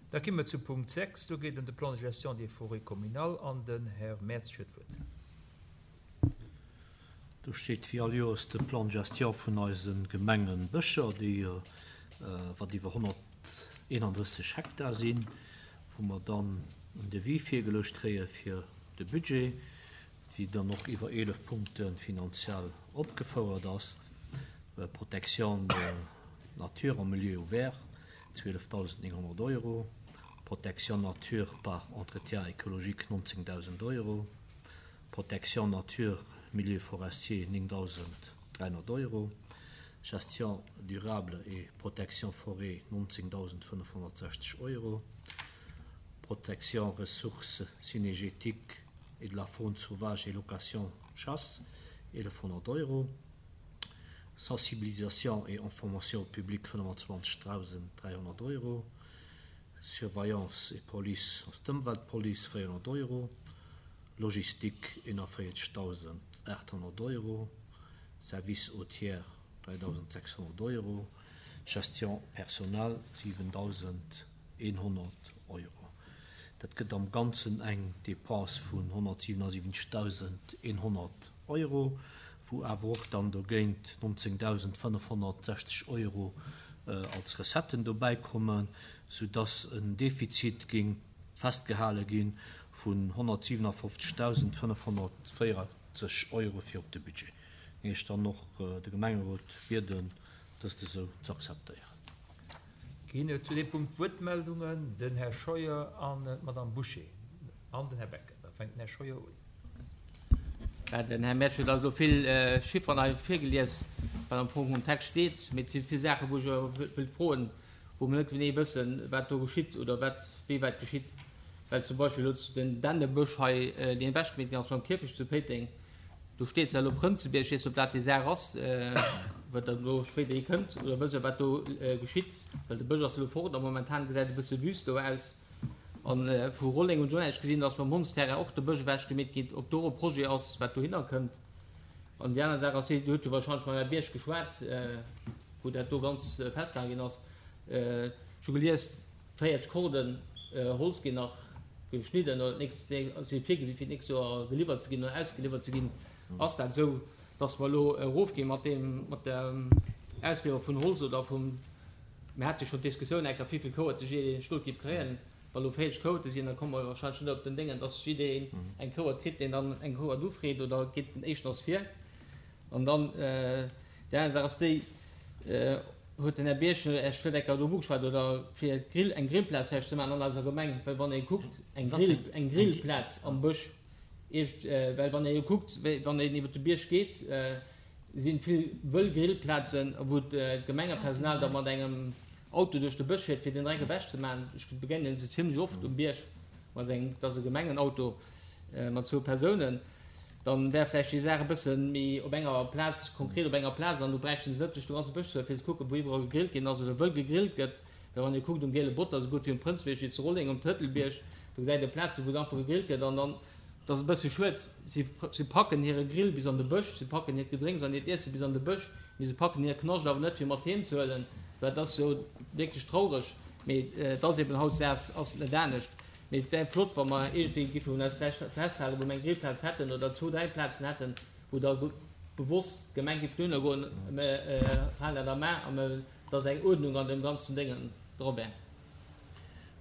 Da gi mer zu Punkt 6. Do geet ëm de Plan de gestion des forêts communales an den Här Mertz huet d'Wuert. Do steet wéi all Joers de Plan de gestion vun eise Gemengebëscher, déi wat iwwer 131 Hektar sinn, wou mer dann en Devis virgeluecht kréie fir de Budget, déi dann och iwwer 11 Punkte finanziell opgefouert ass, Protection de nature en milieu ouvert, 12.900 Euro, Protection nature par entretien écologique, 19.000 Euro, Protection nature milieu forestier, 9.300 Euro, Gestion durable et protection forêt, 19.560 Euro, Protection ressources cynégétiques et de la faune sauvage et location chasse, 1.100 Euro, Sensibilisation et information au public, 25.300 Euro, Surveillance et police, ass d'Ëmweltpolice, 400 Euro, Logistique, 41.800 Euro, Service aux tiers, 3.600 Euro, Gestion personnel, 7.100 Euro. Dat gëtt am Ganzen eng Dépense vun 177.100 Euro, wou awer och dann dogéint 19.560 Euro als Recetten dobäikommen, soudass en Defizit géing festgehale gi vun 157.540 Euro fir op de Budget. Géing ech dann och de Gemengerot bieden, dëst esou ze akzeptéieren. Ginn et zu deem Punkt Wuertmeldungen? Den Här Scheuer an d'Madame Bouché an den Här Becker. Da fänkt den Här Scheuer un. Den Här Mertsch huet eis elo vill Chifferen hei virgelies, wat am Fong um Text steet. Mee et si vill Saachen, wou ech awer wëllt froen, wou mer net genee wëssen, wat do geschitt oder wat wéi wat geschitt. Well zum Beispill elo den Dännebësch hei, deen ewechgemeet ginn ass beim Kierfecht zu Péiteng, do steet zwar elo Prënzebierg, ech weess net, ob dat déi Saach ass, wat dann elo spéider hi kënnt, oder wësse wat do geschitt, well de Bësch ass elo fort a momentan gesäit et e bësse wüst do aus. A vu Rolleng hunn ech och näischt gesinn, dass mam Hondsterrain och de Bësch ewechgemeet gétt, ob do och e Projet ass, wat dohinner kënnt. An déi aner Saach ass déi, Dir hutt jo wahrscheinlech mam Här Bierg geschwat, wou dat do ganz festgehale ginn ass. Ech hu gelies, 40 Korden Holz ginn nach geschnidden oder d'nächst, si virgesi fir d'nächst Joer geliwwert ze ginn oder ausgeliwwert ze ginn. Ass dat esou, dass mer elo erofgi mat deem, mat der Ausliwwer vun Holz oder vum, Mir hate jo schonn d'Diskussioun eng Kéier, wéivill Kouerte jiddereen Stot géif kréien. Wa lo 40 Kouerte sinn, da komme mer warscheinlech net op den Déngen, dass jiddereen eng Kouert kritt, deen dann eng Kouert ufreet, oder geet den éischten ass vir. An dann déi aner Saach ass déi, huet den Här Bierg, ech huet eng Kéier drop ugeschwat, oder fir d'Grill, eng Grillplaz vläicht ze maachen an eiser Gemeng, well wann ee kuckt, eng Grill, eng Grillplaz am Bësch, iergend, well wann ee jo kuckt, wéi wann een iwwer de Bierg geet, Si vill wëll Grillplazen, wou d'Gemengepersonal da mat engem Auto duerch de Bësch fiert, fir den Dreck ewech ze maachen. Ech begéinen se zimlech oft um Bierg mat engem, dat ass e Gemengenauto mat zwou Persounen. Dann wär vläicht déi Saach e bësse méi op enger Plaz, konkret op enger Plaz, an do bräichten se net duerch de ganze Bësch ze fueren, fir ze kucken, wou iwwerall gegrillt ginn ass oder wëll gegrillt gëtt. Well wann ee kuckt um Giele Botter, esou gutt wéi um Prënzbierg, wéi zu Rolleng um Tëtelbierg, do gesäit ee Plazen, wou einfach gegrillt gëtt an dann, Et ass e bësse schued, si packen hire Grill bis an de Bësch, si packen hiert Gedrénks an hiert Iesse bis an de Bësch, mee se packen hire Knascht awer net fir mat heem ze huelen. Dat ass jo wierklech traureg, mee et ass eben hautdesdaags ass et net anescht. Mee et wär flott, wa mer iergendwéi géife dat vläicht festhalen, wou mer eng Grillplaz hätten oder zwou, dräi Plazen hätten, wou da bewosst d'Gemeng géif dohinner goen, Mir halen dat am A a mir, dass eng Uerdnung an deem ganzen Déngen dra wär.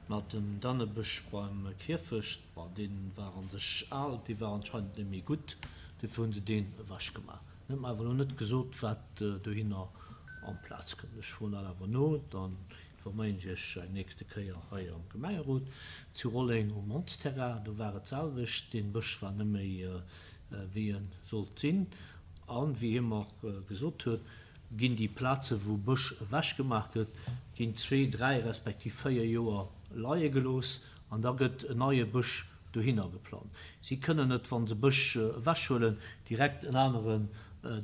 Mä den Dannebësch beim Kierfecht, ma dee war an sech al, dee war anscheinend net méi gutt, dofir hu se deen ewechgemaach. En huet mer awer elo net gesot, wat dohinner amplaz kënnt. Ech froen dat awer no, dann informéieren ech Iech eng nächste Kéier hei am Gemengerot. Zu Rolleng um Hondsterrain, do war et d'selwecht, dee Bësch war net méi wéi e sollt sinn. A wéi hie mer gesot huet, ginn déi Plaze wou Bësch ewechgemaach gëtt, ginn zwee, dräi respektiv véier Joer leie gelooss an da gëtt en neie Bësch dohinner geplant. Si kënnen net, wa se Bësch ewechhuelen, direkt en aneren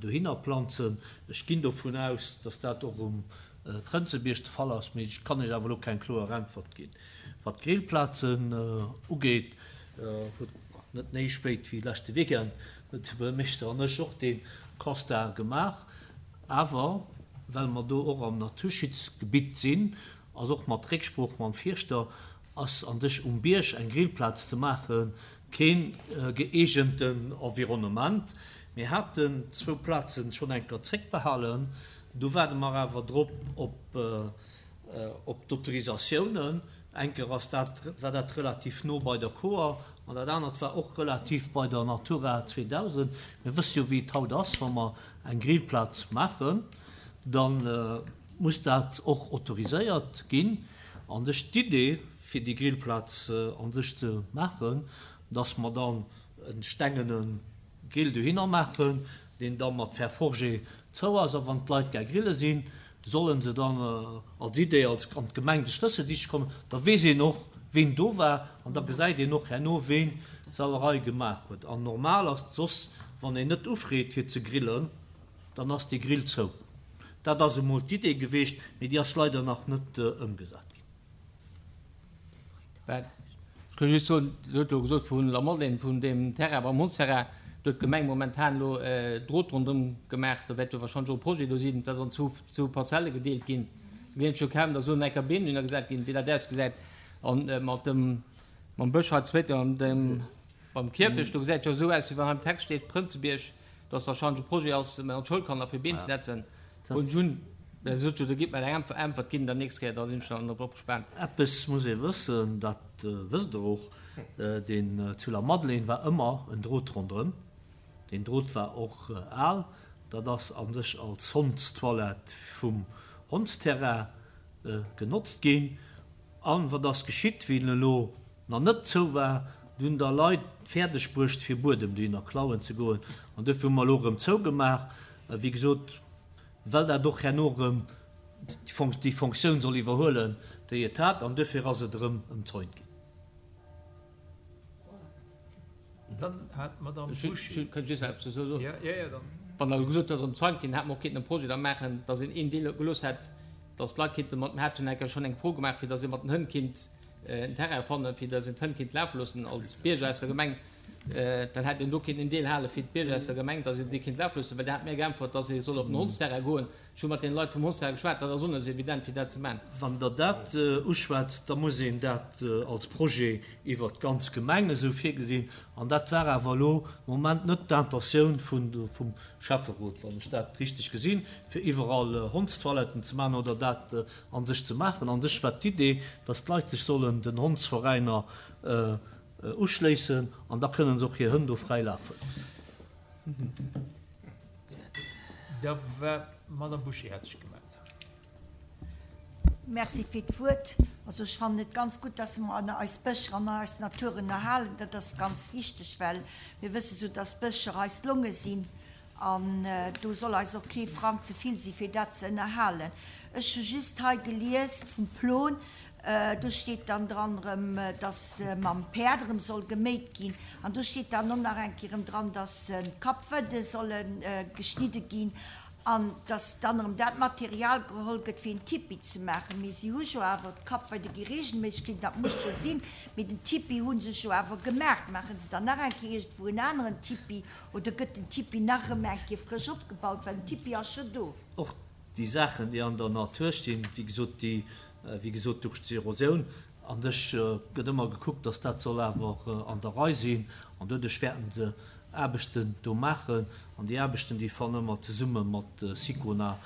dohinner planzen. Ech ginn dovun aus, datt dat och um Prënzebierg de Fall ass, mee ech kann Iech awer elo keng kloer Äntwert ginn. Wat d'Grillplazen ugeet, huet net méi spéit wéi leschte Weekend huet de Buergermeeschter an ech och dee Constat gemaach. Awer well mer do och am Naturschutzgebitt sinn, ass och mat Récksprooch mam Fierschter. ass an sech um Bierg eng Grillplaz ze maache keen gëeegenten Environnement. Mir haten zwou Plazen schonn eng Kéier zréckbehalen, do waarde mer awer drop op op d'Autorisatiounen. Eng Kéier ass dat, war dat relativ no bei der Koer an dat anert war och relativ bei der Natura 2000. Mir wësse jo wéi et haut ass, wa mer eng Grillplaz maachen, da muss dat och autoriséiert ginn. An sech d'Idee fir déi Grillplaz an sech ze maachen, dass mer dann e stengene Grill dohinner maachen, deen da mat Fer forgé zou ass, a wann d'Leit gär grille sinn, sollen se dann als Idee als an d'Gemeng de Schlëssel siche kommen, da weess een och ween do war an da gesäit een och herno ween d'Sauerei gemaach huet. An normal ass soss, wann een net ufreet fir ze grillen, dann ass dee Grill zou. Dat ass emol d'Idee geweecht, mee déi ass leider nach net ëmgesat ginn. Ech kann just soen, Dir hutt elo gesot vun La Madeleine, vun deem Terrain beim Hondsterrain, do huet d'Gemeng momentan elo Drot ronderëm gemaach. Do wäert jo wahrscheinlech och e Projet do sinn, dat ass an zwou Parzelle gedeelt ginn. Mir gesinn jo kaum, datt do nach enker Beem drunner gesat ginn, wéi dat ausgesäit. A mat dem, mam Bësch hei zweet an dem, beim Kierfecht, do gesäit et jo esou aus, wéi wann hei am Text steet, Prënzebierg, dass wahrscheinlech e Projet ass, mat Schoulkanner fir Beem ze setzen. Hunn ech un, well sot jo, do gitt mer eng Äntwert ginn der nächst Kéier, da sinn ech dann drop gespaant. Eppes muss ee wëssen, dat wësst Der och, deen zu La Madeleine war ëmmer en Drot ronderëm. Deen Drot war och al. Dat ass a sech als Hondstoilette vum Hondsterrain genotzt ginn. A wat ass geschitt, wéi en elo nach net zou war, du hunn da Leit fäerdeg bruecht fir Buedem dohinner klauen ze goen an duerfir hu mer elo erëm zougemaach, wéi gesot, well dat och herno erëm déi Fonctioun soll iwwerhuelen, déi et hat, an duerfir ass et erëm ëmzäunt ginn. Dann hat d'Madame Bouché. Ech kënnt just nach eppes dozou soen. Wann Der gesot hutt, dass ëmzäunt ginn, hätt mer och kéinten e Projet da maachen, dass een een Deel gelooss hätt, dass d'Leit kéinte mat, mir haten enker schonn eng Fro gemaach, fir dass ee mat den Hënn kinnt en Terrain fannen, fir dass een d'Hënn kinnt lafe loossen als Bierger aus der Gemeng. Dann hätt een do kéinten en Deel hale fir d'Bierger aus der Gemeng, dass een déi kinnt lafe loossen, well Dir hat mir geäntwert, dass ee soll op den Hondsterrain goen. Ech hu mat deene Leit vum Hondsterrain geschwat, dat ass och net esou evident, fir dat ze maachen. Wann Der dat uschwätzt, da muss een dat als Projet iwwert d'ganz Gemeng esou virgesinn. An dat war awer elo de Moment net d'Intentioun vum Schäfferot, wann ech dat richteg gesinn, fir iwwerall Hondstoiletten ze maachen oder dat a sech ze maachen. A sech war d'Idee, dass d'Leit sech sollen den Hondsveräiner uschléissen an da kënnen se och hir Hënn do fräi lafe loossen. Da war d'Madame Bouché hat sech gemellt. Merci fir d'Wuert. Also ech fannen et ganz gutt, dass mer eis Bëscher an eis Naturen erhalen. Dat ass ganz wichteg, well mir wësse sou, dass d'Bëscher eis Longe sinn an do soll eis och kee Frang ze vill si fir dat ze ënnerhalen. Ech hu just hei gelies vum Plon, do steet dann dran erëm, dass mam Päerd erëm soll geméit ginn an do steet dann och nach eng Kéier erëm dran, dass d'Kappwëdde solle geschnidde ginn An dass dann erëm dat Material geholl gëtt, fir een Tipi ze maachen. Mee si hu jo awer, d'Kappweide gi regelméisseg ginn, dat muss jo sinn, mee den Tipi hu se jo awer gemaach. Maache se dann nach eng Kéier iergendwou en aneren Tipi oder gëtt den Tipi nach erëm eng Kéier frësch opgebaut, well den Tipi ass jo do. Och déi Saachen, déi an der Natur stinn, wéi gesot, déi, wéi gesot, duerch d'Erosioun an sech gëtt ëmmer gekuckt, dass dat soll awer an der Rei sinn an doduerch wäerten se Aarbechten do maachen an déi Aarbechten, déi fannen ëmmer zesumme mat Sicona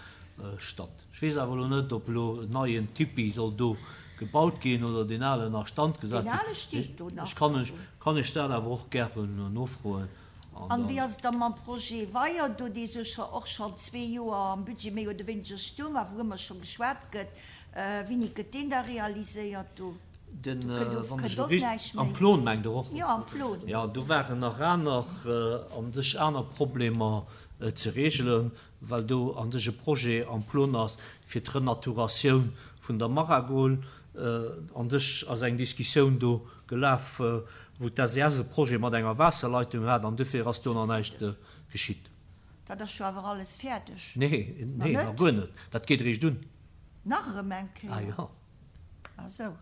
statt. Ech weess awer elo net, ob elo en neien Tipi soll do gebaut ginn oder deen alen a Stand gesat ginn. Deen ale steet do nach. Ech kann Iech, kann Iech dat awer och gären nofroen an An wéi ass et da mam Projet Weier do, dee sou scho och schonn zwee Joer am Budget méi oder wéineger stoung a wourëmmer scho geschwat gëtt? Wéini gëtt deen da realiséiert do? Den, wann ech elo richteg, am Plon mengt Der och? Jo, am Plon. Jo, do waren nach aner, an sech aner Problemer ze regelen, well do an sech e Projet am Plon ass fir d'Renaturatioun vun der Maragol. An sech ass eng Diskussioun do gelaf, wou d'SES e Projet mat enger Waasserleitung hat an dofir ass do nach näischt geschitt. Dat ass jo awer alles fäerdeg. Nee, nee, nach guer net. Dat geet eréischt un. Nach erëm eng Kéier? Ah jo. Ah sou.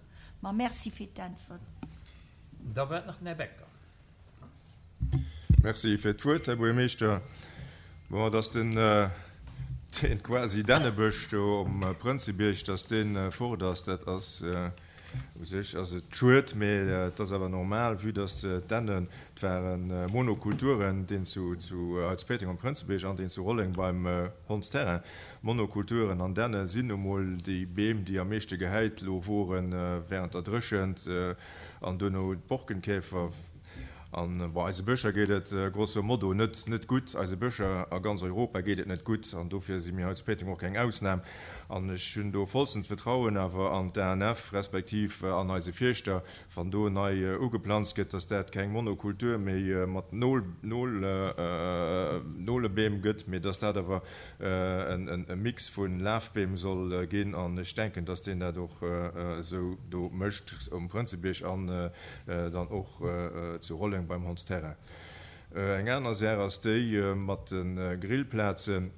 Ma merci fir d'Äntwert. Da war et nach den Här Becker. Merci fir d'Wuert, Här Buergermeeschter. Bon, dass den, deen quasi Dännebësch do um Prënzebierg, dass dee fort ass, dat ass. U sech ass et schued, mee et ass awer normal, vue dass d'Dännen, et ware Monokulturen, deen zu hei zu Péiteng am Prënzebierg an deen zu Rolleng beim Hondsterrain. Monokulturen an Dänne sinn nu mol déi Beem, déi am meeschte gehäit lo wore während der Dréchent an duerno d'Borkenkäfer. An bon, eise Bëscher geet et grosso modo net net gutt. Eise Bëscher a ganz Europa geet et net gutt an dofir si mir hei zu Péiteng och keng Ausnam. An ech hunn do vollstent Vertrauen awer an d'ANF respektiv an eise Fierschter, wann do nei ugeplanzt gëtt, dass dat keng Monokultur méi mat Nol Nol Nolebeem gëtt, mee dass dat awer e Mix vu Lafbeem soll ginn. An ech denken, dass deen dat och esou do mécht um Prënzebierg an dann och zu Rolleng beim Hondsterrain. Eng aner Saach ass déi mat de Grillplazen.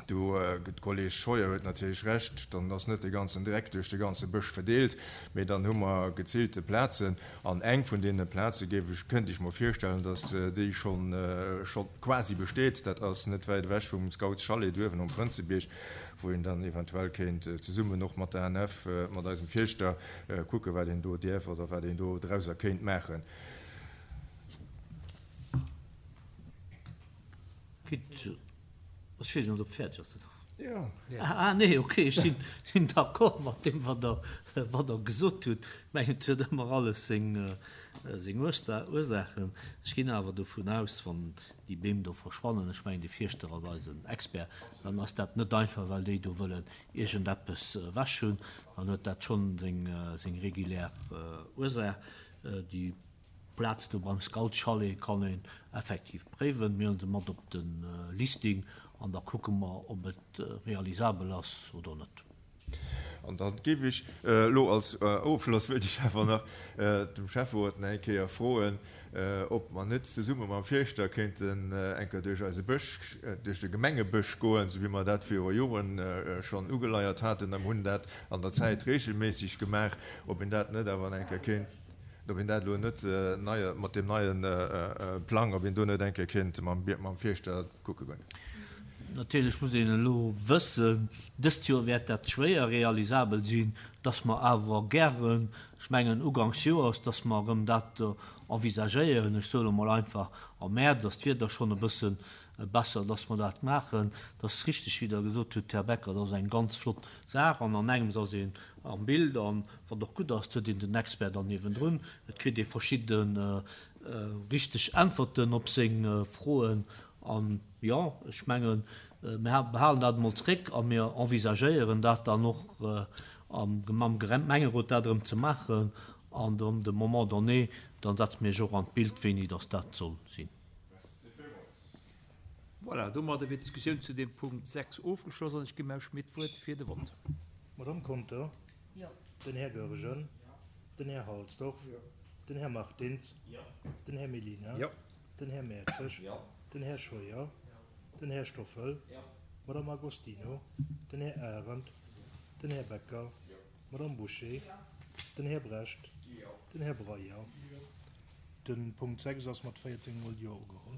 Do, de Kolleg Scheuer huet natierlech Recht, dann ass net de ganzen Dreck duerch de ganze Bësch verdeelt, mee dann hu mer geziilte Plazen. An eng vun deene Plaze géif ech, kënnt ech mer virstellen, datt déi schonn, scho quasi besteet, dat ass net wäit ewech vum Scoutschalet uewen um Prënzebierg, wou een dann eventuell kéint zesummen och mat der ANF, mat eisem Fierschter, kucken, wat een do däerf oder wat een do drauser kéint maachen. Gutt, ech weess net, ob fäerdeg ass. Jo. Ah nee, ok, ech sinn, sinn d'accord mat deem, wat Der, wat Der gesot hutt. Ech mengen, et huet ëmmer alles seng, seng Ursaachen. Ech ginn awer dovun aus, wann déi Beem do verschwannen, ech mengen, de Fierschter ass eisen Expert, dann ass dat net einfach, well déi do wëllen iergendeppes ewech hunn, dann huet dat schonn seng, seng regulär Ursaach. Déi Plaz do beim Scoutschalet kann een effektiv préiwen. Mir hunn se mat op de Listing an da kucke mer, ob et realisabel ass oder net. An da géif ech elo als Ofschloss, wëilt ech awer nach dem Schäfferot nach eng Kéier froen, ob mer net zesumme mam Fierschter kéinten eng Kéier duerch eise Bësch, duerch de Gemengebësch goen, esou wéi mer dat viru Joren schonn ugeleiert haten a mer hunn dat an der Zäit regelméisseg gemaach, ob een dat net awer nach eng Kéier kéint, ob een dat elo net nei, mat deem neie Plang, ob een do net eng Kéier kéint mam Fierschter kucke goen. Natierlech muss een elo wëssen, dëst Joer wäert dat schwéier realisabel sinn, dass mer awer gären, ech mengen uganks Joers, dass mer erëm dat envisagéieren, ech soe lo mol einfach am Mäerz ass d'Wieder schonn e bësse besser, dass mer dat maachen. Dat ass richteg, wéi Der gesot hutt, Här Becker, dat ass eng ganz flott Saach an an engems ass een am Bild an wat och gutt ass, et huet een den Expert dann niewendrun, et kritt ee verschidde richteg Äntwerten op seng Froen an, Jo, ech mengen, mir behalen dat emol zréck a mir envisagéieren dat dann och mam Gemengerot dat erëm ze maachen. An dann de Moment donné, da setze mir iech och an d'Bild, wéini dass dat soll sinn. Voilà, domadder wier d'Diskussioun zu deem Punkt 6 ofgeschloss an ech ginn dem Här Schmit d'Wuert fir de Vott. D'Madame Conter? Jo. Den Här Goergen? Jo. Den Här Halsdorf? Jo. Den Här Martins? Jo. Den Här Mellina? Jo. Den Här Mertzig? Jo. Den Här Scheuer? Den Här Stoffel? Jo. D'Madame Agostino? Den Här Arendt? Den Här Becker? Jo. D'Madame Bouché? Jo. Den Här Brecht? Jo. Den Här Breyer? Jo. De Punkt 6 ass mat 14 mol Jo ugeholl.